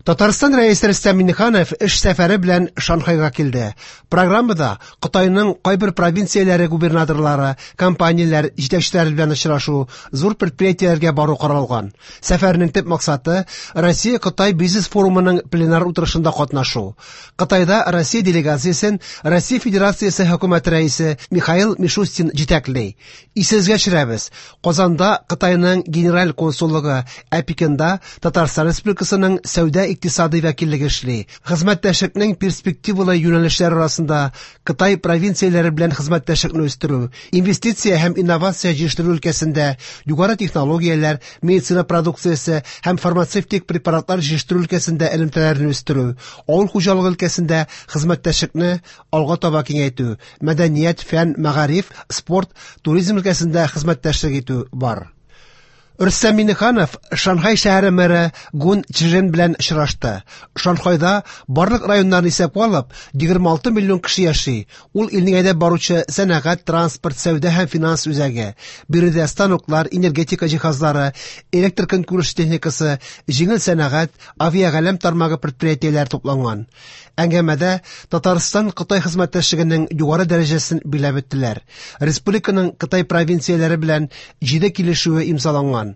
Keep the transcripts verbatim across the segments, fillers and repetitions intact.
Татарстан Рәисе Рөстәм Миңнеханов эш сәфәре белән Шанхайга килде. Программада Кытайның кайбер провинцияләре губернаторлары, компанияләр җитәкчеләре белән очрашу, зур предприятиеләргә бару каралган. Сәфәрнең төп максаты Россия-Кытай бизнес форумының пленар утырышында катнашу. Кытайда Россия делегациясен Россия Федерациясе хөкүмәте рәисе Михаил Мишустин җитәкли. Исегезгә төшерәбез, Казанда Кытайның генераль консуллыгы, ә Пекинда Татарстан Республикасының сәүдә икътисади вәкиллеге эшли. Хезмәттәшлекнең перспективалы юнәлешләре арасында Кытай провинцияләре белән хезмәттәшлекне үстерү, инвестиция һәм инновация җитештерү өлкәсендә, югары технологияләр, медицина продукциясе һәм фармацевтик препаратлар җитештерү өлкәсендә элемтәләрне үстерү, авыл хуҗалыгы өлкәсендә хезмәттәшлекне алга таба киңәйтү, мәдәният, фән, мәгариф, спорт, туризм өлкәсендә хезмәттәшлек итү бар. Рөстәм Миңнеханов Шанхай шәһәре мэры Гун Чжен белән очрашты. Шанхайда барлык районнарны исәпкә алып, егерме алты миллион кеше яши. Ул илнең әйдәп баручы сәнәгать, транспорт, сәүдә һәм финанс үзәге. Биредә станоклар, энергетика җиһазлары, электр көнкүреш техникасы, җиңел сәнәгать, авиагаләм тармагы предприятиеләре тупланган. Әңгәмәдә Татарстан Кытай хезмәттәшлегенең югары дәрәҗәсен биләп үттеләр. Республиканың Кытай провинцияләре белән җиде килешүе имзаланган.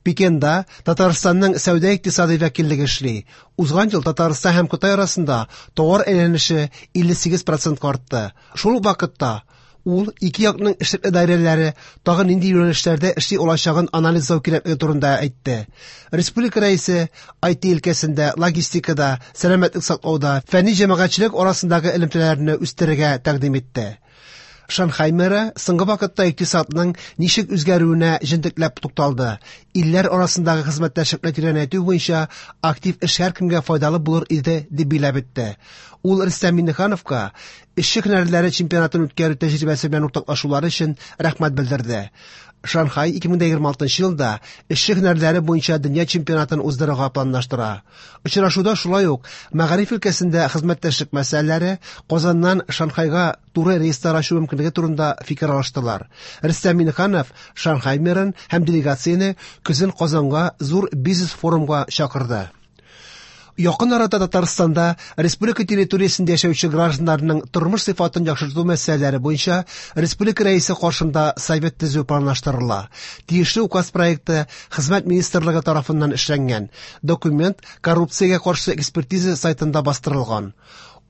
Пекинда Татарстанның сәүдә икътисади вәкиллеге эшли. Узган ел Татарстан һәм Кытай арасында товар әйләнеше илле сигез процентка артты. Шул ук вакытта ул ике якның эшлекле даирәләре тагын нинди юнәлешләрдә эшли алачагын анализлау кирәклеге турында әйтте. Республика рәисе ай ти өлкәсендә, логистикада, сәламәтлек саклауда, фәнни җәмәгатьчелек арасындагы элемтәләрне үстерергә тәкъдим итте. Шанхай мэры соңгы вакытта икътисадның ничек үзгәрүенә җентекләп тукталды. Илләр арасындагы хезмәттәшлекне тирәнәйтү буенча актив эш һәркемгә файдалы булыр иде дип биләп үтте. Ул Рөстәм Миңнехановка эшче һөнәрләре чемпионатын үткәрү тәҗрибәсе белән уртаклашулары өчен рәхмәт белдерде. Шанхай ике мең егерме алтынчы елда эшче һөнәрләре буенча дөнья чемпионатын уздырырга планлаштыра. Очрашуда шулай ук мәгариф өлкәсендә хезмәттәшлек мәсьәләләре, Казаннан Шанхайга туры рейслар ачу мөмкинлеге турында фикер алыштылар. Рөстәм Миңнеханов Шанхай мэрын һәм делегацияне көзен Казанга зур бизнес форумга чакырды. Якын арада Татарстанда республика территориясендә яшәүче гражданнарның тормыш сыйфатын яхшырту мәсьәләләре буенча республика рәисе каршында совет төзү планлаштырыла. Тиешле указ проекты Хезмәт министрлыгы тарафыннан эшләнгән. Документ коррупциягә каршы экспертиза сайтында бастырылган.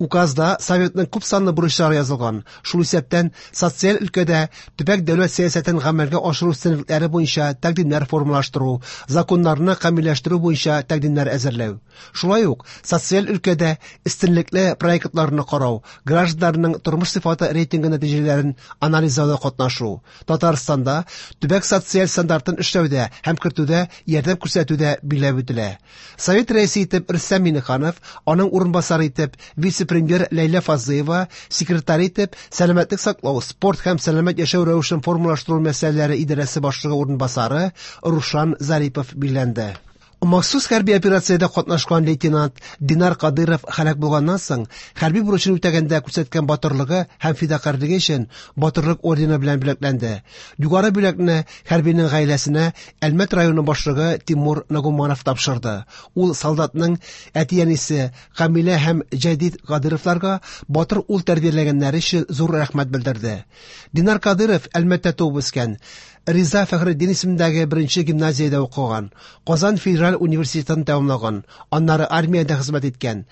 Указда советның күп санлы бурычлары язылган. Шул исәптән социаль өлкәдә төбәк дәүләт сәясәтен гамәлгә ашыру өстенлекләре буенча тәкъдимнәр формалаштыру, законнарны камилләштерү буенча тәкъдимнәр әзерләү. Шулай ук социаль өлкәдә өстенлекле проектларны карау, гражданнарның тормыш сыйфаты рейтингы нәтиҗәләрен анализлауда катнашу, Татарстанда төбәк социаль стандартын эшләүдә һәм кертүдә ярдәм күрсәтүдә биләп үтелә. Совет рәисе итеп Рөстәм Миңнеханов, аның урынбасары итеп вице-премьер Ләйлә Фазлыева, секретарь итеп сәламәтлек саклау, спорт һәм сәламәт яшәү рәвешен формалаштыру мәсьәләләре идарәсе башлыгы урынбасары Рушан Зарипов билгеләнде. Махсус хәрби операциядә катнашкан лейтенант Динар Кадыров һәлак булганнан соң, хәрби бурычын үтәгәндә күрсәткән батырлыгы һәм фидакарьлеге өчен Батырлык ордены белән бүләкләнде. Югары бүләкне хәрбинең гаиләсенә Әлмәт районы башлыгы Тимур Нагуманов тапшырды. Ул солдатның әти-әнисе Камилә һәм Җәдит Кадыровларга батыр ул тәрбияләгәннәре өчен зур рәхмәт белдерде. Динар Кадыров Әлмәттә туып үскән. Риза Фәхретдин исемендәге беренче гимназиядә укыган, Казан федераль университетын тәмамлаган, аннары армиядә хезмәт иткән.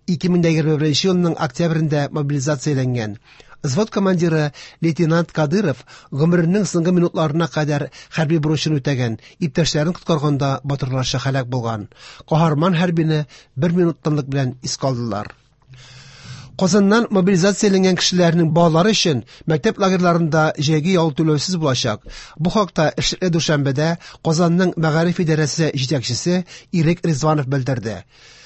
Ике мең егерме беренче елның октябрендә мобилизацияләнгән. Взвод командиры лейтенант Кадыров гомеренең соңгы минутларына кадәр хәрби бурычын үтәгән, иптәшләрен коткарганда батырларча һәлак булган. Каһарман хәрбине бер минут тынлык белән искә алдылар. Казаннан мобилизацияләнгән кешеләрнең балалары өчен мәктәп лагерьларында җәйге ял түләүсез булачак. Бу хакта эшлекле дүшәмбедә Казанның мәгариф идарәсе җитәкчесе Ирек Ризванов белдерде.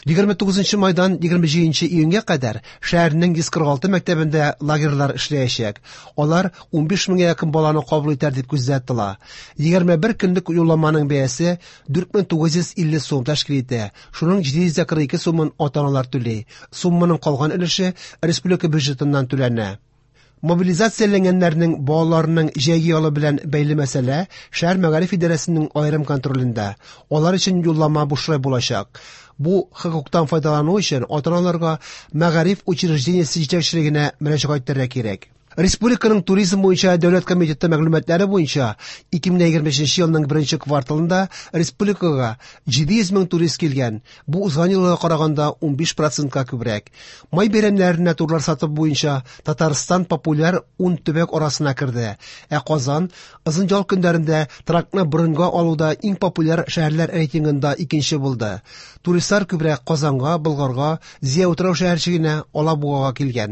Егерме тугызынчы майдан егерме җиденче июньгә кадәр шәһәрнең йөз кырык алты мәктәбендә лагерьлар эшләячәк. Алар унбиш меңгә якын баланы кабул итәр дип күздә тотыла. Егерме бер көнлек юлламаның бәясе дүрт мең тугыз йөз илле сум тәшкил итә. Шуның җиде йөз кырык ике сумын ата-аналар түли. Сумманың калган өлеше республика бюджетыннан түләнә. Мобилизацияләнгәннәрнең балаларының җәйге ялы белән бәйле мәсьәлә шәһәр мәгариф идарәсенең аерым контролендә. Алар өчен юллама бушлай булачак. Бу хокуктан файдалану өчен ата-аналарга мәгариф учреждениесе җитәкчелегенә мөрәҗәгать итәргә кирәк. Республиканың туризм буенча дәүләт комитеты мәгълүматлары буенча ике мең егерме өченче елның беренче кварталында республикага җиде йөз мең турист килгән. Бу узган елга караганда унбиш процентка күбрәк. Май бәйрәмнәренә турлар сатып буенча Татарстан популяр ун төбәк арасына керде. Ә Казан озын ял көннәрендә торакны броньга алуда иң популяр шәһәрләр рейтингында икенче булды. Туристлар күбрәк Казанга, Болгарга, Зөя утрау шәһәрчегенә, Алабугага килгән.